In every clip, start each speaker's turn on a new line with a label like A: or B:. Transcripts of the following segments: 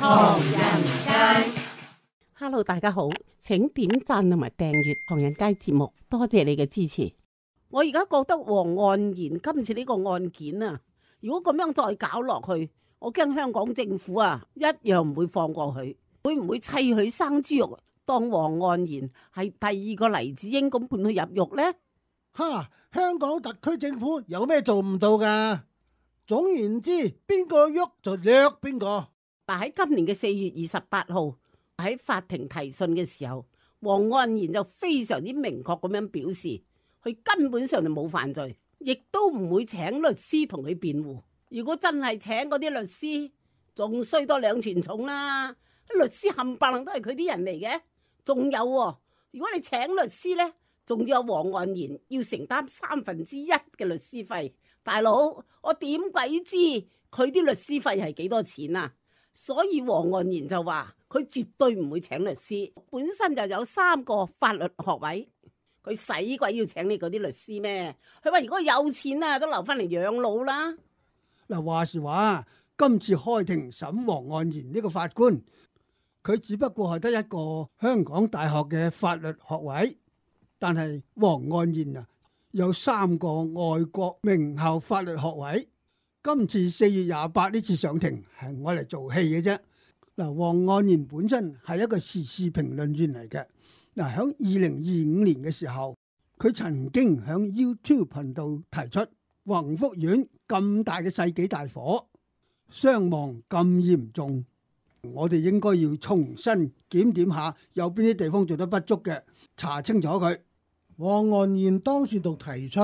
A: 唐人街。
B: Hello， 大家好，請點讚同埋訂閱唐人街節目，多謝你嘅支持。我而家覺得黃岸然今次呢個案件啊，如果咁樣再搞落去，我驚香港政府啊一樣唔會放過佢，會唔會砌佢生豬肉，當黃岸然係第二個黎智英咁判佢入獄呢？
C: 哈！香港特區政府有咩做唔到噶？總言之，邊個喐就掠邊個。
B: 但喺今年嘅4月28號喺法庭提訊嘅時候，黃岸然就非常之明確咁樣表示，佢根本上就冇犯罪，亦都唔會請律師同佢辯護。如果真係請嗰啲律師，仲衰多兩錢重啦！律師冚唪唥都係佢啲人嚟嘅，仲有喎，如果你請律師呢，仲要有黃岸然要承擔1/3嘅律師費。大佬，我點鬼知佢啲律師費係幾多錢啊？所以黃岸然就話佢絕對唔會請律師，本身就有3個法律學位，佢使鬼要請你嗰啲律師咩？佢話如果有錢啊，都留翻嚟養老啦。
D: 嗱，話時話，今次開庭審黃岸然呢個法官，佢只不過係得一個香港大學嘅法律學位，但係黃岸然啊有3個外國名校法律學位。今次4月28呢次上庭係我嚟做戲嘅啫。嗱，黃岸然本身係一個時事評論員嚟嘅。嗱，喺2025年嘅時候，佢曾經喺 YouTube 頻道提出宏福苑咁大嘅世紀大火，傷亡咁嚴重，我哋應該要重新檢點下有邊啲地方做得不足嘅，查清楚佢。
C: 黃岸然當時仲提出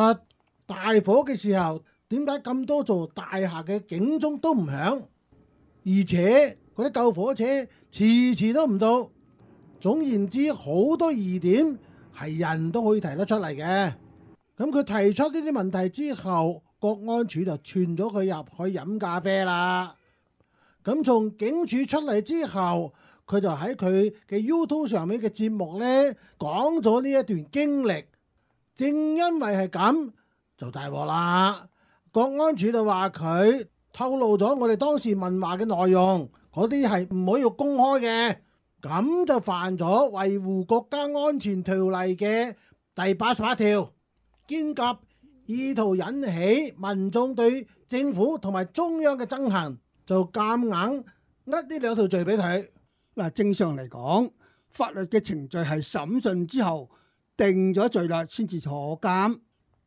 C: 大火嘅時候，點解咁多座大廈嘅警鐘都唔響，而且嗰啲救火車遲遲都唔到。總言之，好多疑點係人都可以提得出嚟嘅。咁佢提出呢啲問題之後，國安處就傳咗佢入去飲咖啡啦。咁從警署出嚟之後，佢就喺佢嘅 YouTube 上面嘅節目呢講咗呢一段經歷。正因為係咁，就大禍啦。國安處就話佢透露咗我哋當時問話嘅內容，嗰啲係唔可以公開嘅，咁就犯咗維護國家安全條例嘅第88條，兼及意圖引起民眾對政府同埋中央嘅憎恨，就夾硬呃呢2條罪俾佢。
D: 嗱，正常嚟講，法律嘅程序係審訊之後定咗罪啦，先至坐監。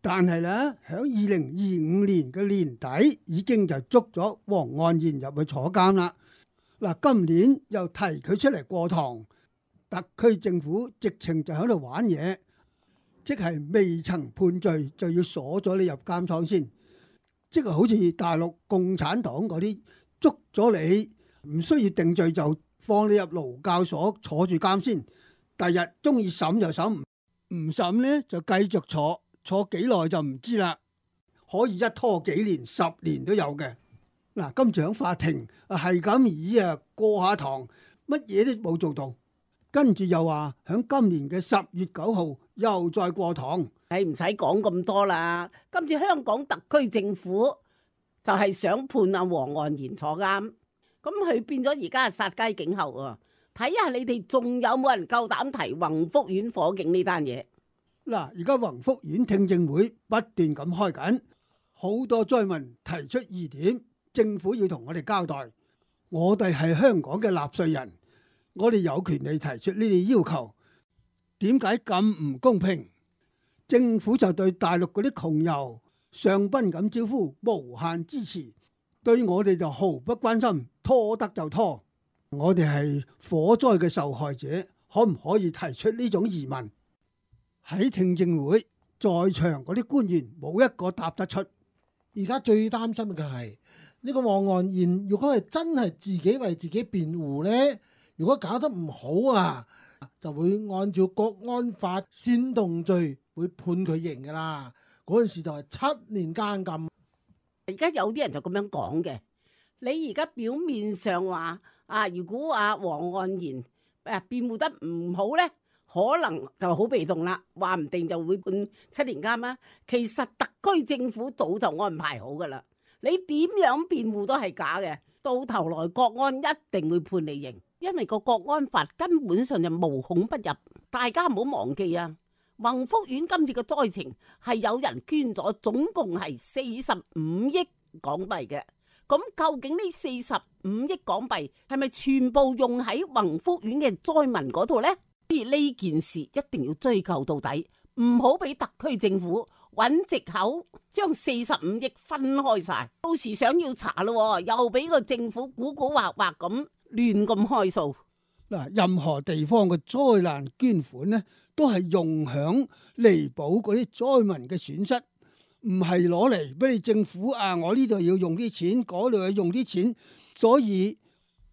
D: 但係咧，喺2025年嘅年底已經就捉咗黃岸然入去坐監啦。嗱，今年又提佢出嚟過堂，特區政府直情就喺度玩嘢，即係未曾判罪就要鎖咗你入監倉先，即係好似大陸共產黨嗰啲捉咗你，唔需要定罪就放你入勞教所坐住監先，第日中意審就審，唔審呢就繼續坐。坐幾耐就唔知啦，可以一拖幾年、10年都有嘅。嗱，今次喺法庭係咁以過下堂，乜嘢都冇做到，跟住又話喺今年嘅10月9號又再過堂。
B: 唔使講咁多啦，今次香港特區政府就係想判阿黃岸然坐監，咁佢變咗而家係殺雞儆猴啊！睇下你哋仲有冇人夠膽提宏福苑火警呢單嘢？
D: 嗱，而家宏福苑聽證會不斷咁開緊，好多災民提出疑點，政府要同我哋交代。我哋係香港嘅納稅人，我哋有權利提出呢啲要求。點解咁唔公平？政府就對大陸嗰啲窮遊上賓咁招呼，無限支持，對我哋就毫不關心，拖得就拖。我哋係火災嘅受害者，可唔可以提出呢種疑問？喺聽證會在場嗰啲官員冇一個答得出。
C: 而家最擔心嘅係呢個黃岸然，如果係真係自己為自己辯護呢，如果搞得唔好啊，就會按照國安法煽動罪會判佢刑噶啦。嗰陣時就係7年監禁。
B: 而家有啲人就咁樣講嘅，你而家表面上話如果黃岸然辯護得唔好呢，可能就好被動啦，話唔定就會判7年監啦。其實特區政府早就安排好噶啦，你點樣辯護都係假嘅，到頭來國安一定會判你刑，因為個國安法根本上就無孔不入。大家唔好忘記啊，宏福苑今次嘅災情係有人捐咗，總共係45億港幣嘅。咁究竟呢45億港幣係咪全部用喺宏福苑嘅災民嗰度呢？所以呢件事一定要追究到底，唔好俾特區政府揾藉口將45億分開晒，到時想要查咯，又俾個政府古古惑惑咁亂咁開數。
D: 嗱，任何地方嘅災難捐款呢，都係用響彌補嗰啲災民嘅損失。唔係攞嚟俾你政府啊！我呢度要用啲錢，嗰度要用啲錢，所以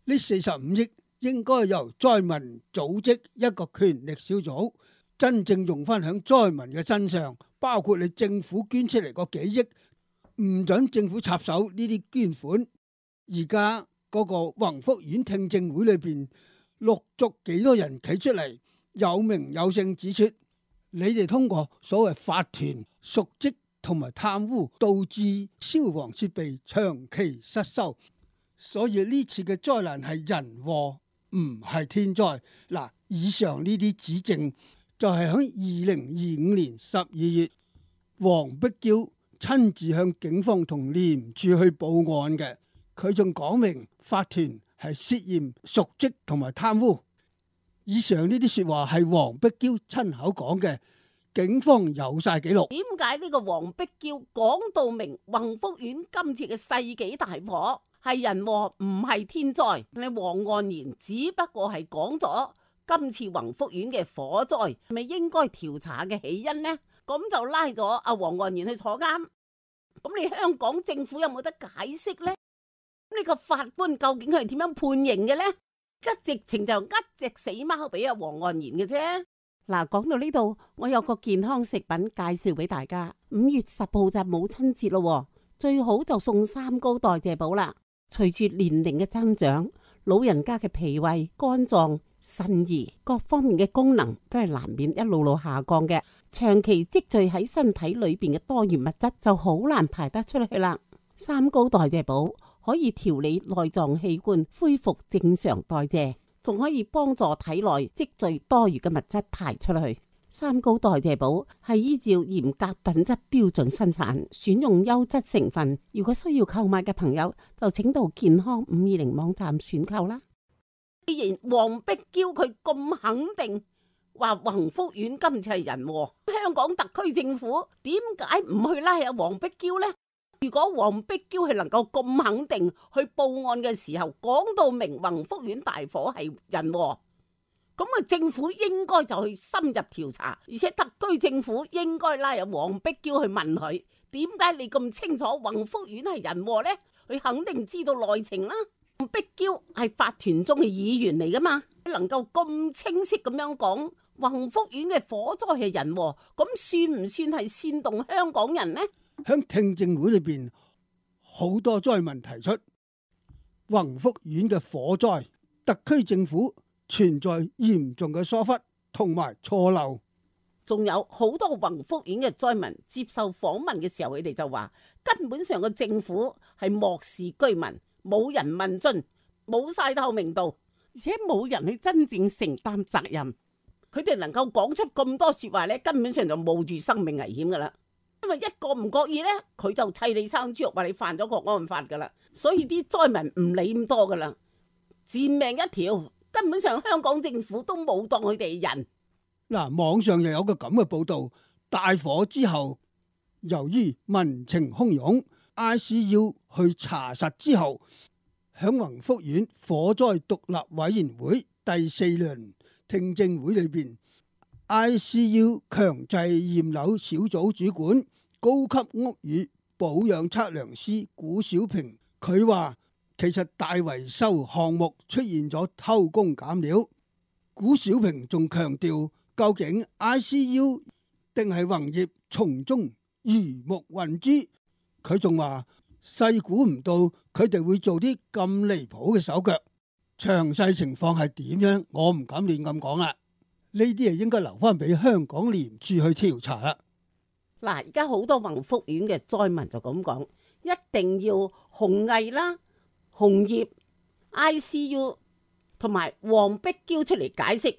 D: 呢45億應該由災民組織一個權力小組，真正用翻響災民嘅身上，包括你政府捐出嚟個幾億，唔准政府插手呢啲捐款。而家嗰個宏福苑聽證會裏邊，陸續幾多人企出嚟，有名有姓指出，你哋通過所謂法團瀆職同埋貪污，導致消防設備長期失修，所以呢次嘅災難係人禍，唔係天災。嗱，以上呢啲指證就係喺2025年12月，黃碧嬌親自向警方同廉署去報案嘅。佢仲講明法團係涉嫌瀆職同埋貪污。以上呢啲說話係黃碧嬌親口講嘅。警方有晒記錄。
B: 點解呢個黃碧嬌講到明宏福苑今次嘅世紀大火係人禍，唔係天災？你黃岸然只不過係講咗今次宏福苑嘅火災係咪應該調查嘅起因呢？咁就拉咗阿黃岸然去坐監。咁你香港政府有冇得解釋呢？呢個法官究竟佢係點樣判刑嘅呢？一直情就呃隻死貓俾阿黃岸然嘅啫。嗱，講到呢度，我有個健康食品介紹俾大家。5月10號就母親節咯，最好就送三高代謝寶啦。隨住年齡嘅增長，老人家嘅脾胃、肝臟、腎胰各方面嘅功能都係難免一路路下降嘅。長期積聚喺身體裏邊嘅多餘物質就好難排得出去啦。三高代謝寶可以調理內臟器官，恢復正常代謝，仲可以幫助體內積聚多餘嘅物質排出去。三高代謝寶係依照嚴格品質標準生產，選用優質成分。如果需要購買嘅朋友，就請到健康520網站選購啦。既然黃碧嬌佢咁肯定話宏福苑今次係人禍，香港特區政府點解唔去拉下黃碧嬌呢？如果黃碧嬌係能夠咁肯定去報案嘅時候，講到明宏福苑大火係人禍，咁啊政府應該就去深入調查，而且特區政府應該拉入黃碧嬌去問佢，點解你咁清楚宏福苑係人禍呢？佢肯定知道內情啦。黃碧嬌係法團中嘅議員嚟噶嘛，能夠咁清晰咁樣講宏福苑嘅火災係人禍，咁算唔算係煽動香港人呢？
D: 喺聽證會裏邊，好多災民提出宏福苑嘅火災，特區政府存在嚴重嘅疏忽同埋錯漏。
B: 仲有好多宏福苑嘅災民接受訪問嘅時候，佢哋就話根本上個政府係漠視居民，冇人問津，冇晒透明度，而且冇人去真正承擔責任。佢哋能夠講出咁多說話咧，根本上就冒住生命危險噶啦。因為一個唔覺意咧，佢就砌你生豬肉，話你犯咗國安法噶啦。所以啲災民唔理咁多噶啦，賤命一條。根本上香港政府都冇當佢哋人。
D: 嗱，網上又有個咁嘅報道，大火之後，由於民情洶湧 ，ICU 去查實之後，響宏福苑火災獨立委員會第4輪聽證會裏邊 ，ICU 強制驗樓小組主管、高級屋宇保養測量師古小平，佢話其實大維修項目出現咗偷工減料。古小平仲強調，究竟 ICU 定係宏業從中魚目混珠？佢仲話細估唔到佢哋會做啲咁離譜嘅手腳，詳細情況係點樣，我唔敢亂咁講啦。呢啲係應該留翻俾香港廉署去調查啦。
B: 嗱，而家好多宏福苑嘅災民就咁講，一定要紅藝啦、紅葉、ICU 同埋黃碧嬌出嚟解釋，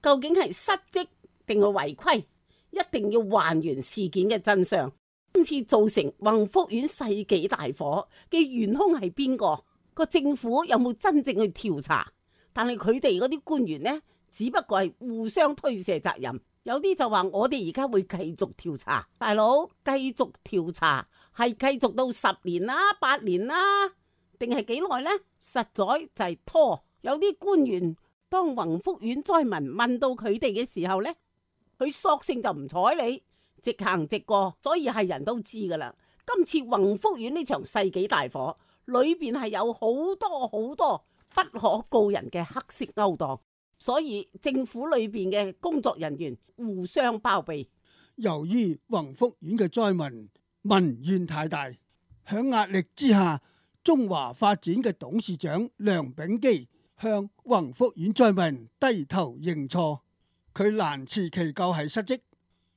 B: 究竟係失職定係違規，一定要還原事件嘅真相。今次造成宏福苑世紀大火嘅元兇係邊個？個政府有冇真正去調查？但係佢哋嗰啲官員呢，只不過係互相推卸責任。有啲就話我哋而家會繼續調查，大佬繼續調查係繼續到10年啦、8年啦，定係幾耐呢？實在就係拖。有啲官員當宏福苑災民問到佢哋嘅時候呢，佢索性就唔睬你，直行直過，所以係人都知噶啦。今次宏福苑呢場世紀大火裏邊係有好多好多不可告人嘅黑色勾當，所以政府裏邊嘅工作人員互相包庇。
D: 由於宏福苑嘅災民民怨太大，響壓力之下，中華發展嘅董事長梁秉基向宏福苑災民低頭認錯。佢難辭其咎係失職，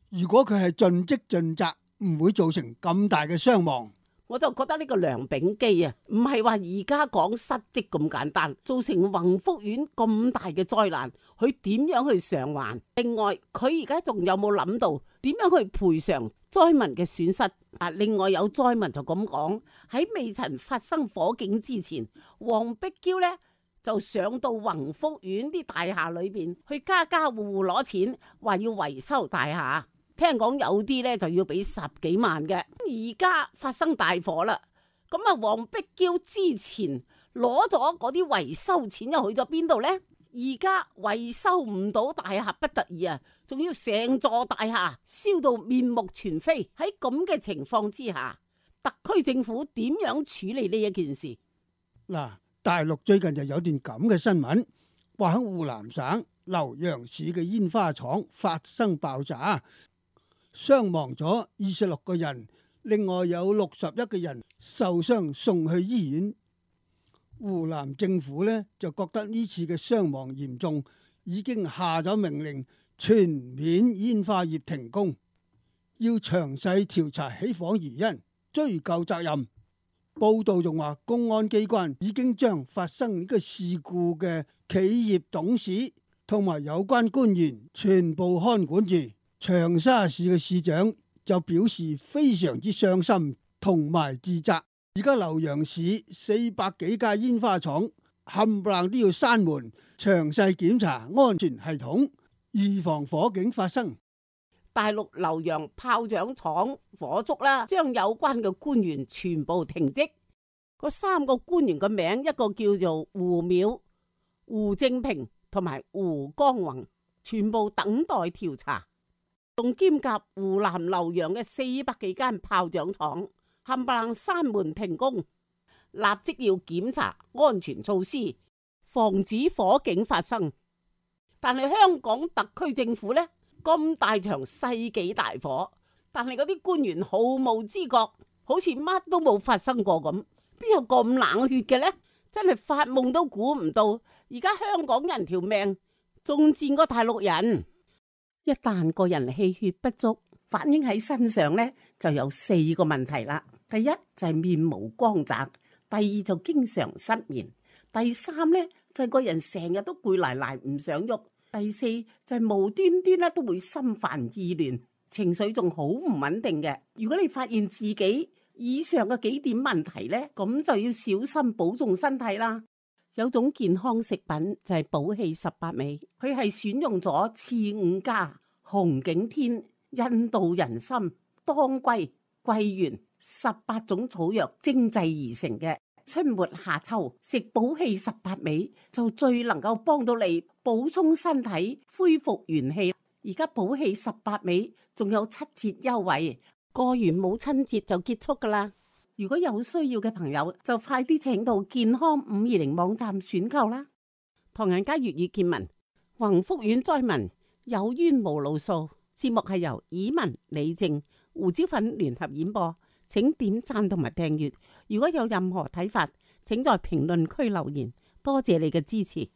D: 如果佢係盡職盡責，唔會造成咁大嘅傷亡。
B: 我就覺得呢個梁秉基啊，唔係話而家講失職咁簡單，造成宏福苑咁大嘅災難，佢點樣去償還？另外，佢而家仲有冇諗到點樣去賠償災民嘅損失？另外有災民就咁講，喺未曾發生火警之前，黃碧嬌呢就上到宏福苑啲大廈裏邊去家家戶戶攞錢，話要維修大廈。聽講有啲咧就要俾10幾萬嘅，而家發生大火啦，咁啊黃碧嬌之前攞咗嗰啲維修錢又去咗邊度呢？而家維修唔到大廈不得已啊，仲要成座大廈燒到面目全非。喺咁嘅情況之下，特區政府點樣處理呢一件事？
D: 嗱，大陸最近就有段咁嘅新聞，話喺湖南省瀏陽市嘅煙花廠發生爆炸，傷亡咗26個人，另外有61個人受傷送去醫院。湖南政府呢就覺得呢次嘅傷亡嚴重，已經下咗命令全面煙花業停工，要詳細調查起火原因，追究責任。報道仲話公安機關已經將發生呢個事故嘅企業董事同埋有關官員全部看管住。長沙市嘅市長就表示非常之傷心同埋自責。而家瀏陽市400幾家煙花廠冚唪唥都要閂門，詳細檢查安全系統，預防火警發生。
B: 大陸瀏陽炮仗廠火燭啦，將有關嘅官員全部停職。嗰3個官員嘅名，一個叫做胡淼、胡正平同埋胡江宏，全部等待調查。仲兼夾湖南瀏陽嘅400幾間炮仗廠冚唪唥閂門停工，立即要檢查安全措施，防止火警發生。但係香港特區政府呢，咁大場世紀大火，但係嗰啲官員毫無知覺，好似乜都冇發生過咁，邊有咁冷血嘅呢？真係發夢都估唔到，而家香港人條命仲賤過大陸人。一旦個人氣血不足，反映喺身上呢，就有4個問題啦。第一就係面無光澤，第二就經常失眠，第3呢就係個人成日都攰賴賴唔想喐，第4就係無端端咧都會心煩意亂，情緒仲好唔穩定嘅。如果你發現自己以上嘅幾點問題呢，咁就要小心保重身體啦。有種健康食品就係寶氣18味，佢係選用咗刺五加、紅景天、印度人參、當歸、桂圓18種草藥精製而成嘅。春末夏秋食寶氣18味就最能夠幫到你補充身體、恢復元氣。而家寶氣18味仲有7折優惠，過完母親節就結束噶啦。如果有需要嘅朋友，就快啲請到健康520網站選購啦。唐人街粵語見聞，宏福苑災民有冤無路訴。節目係由以文、李靜、胡椒粉聯合演播，請點讚同埋訂閱。如果有任何睇法，請在評論區留言。多謝你嘅支持。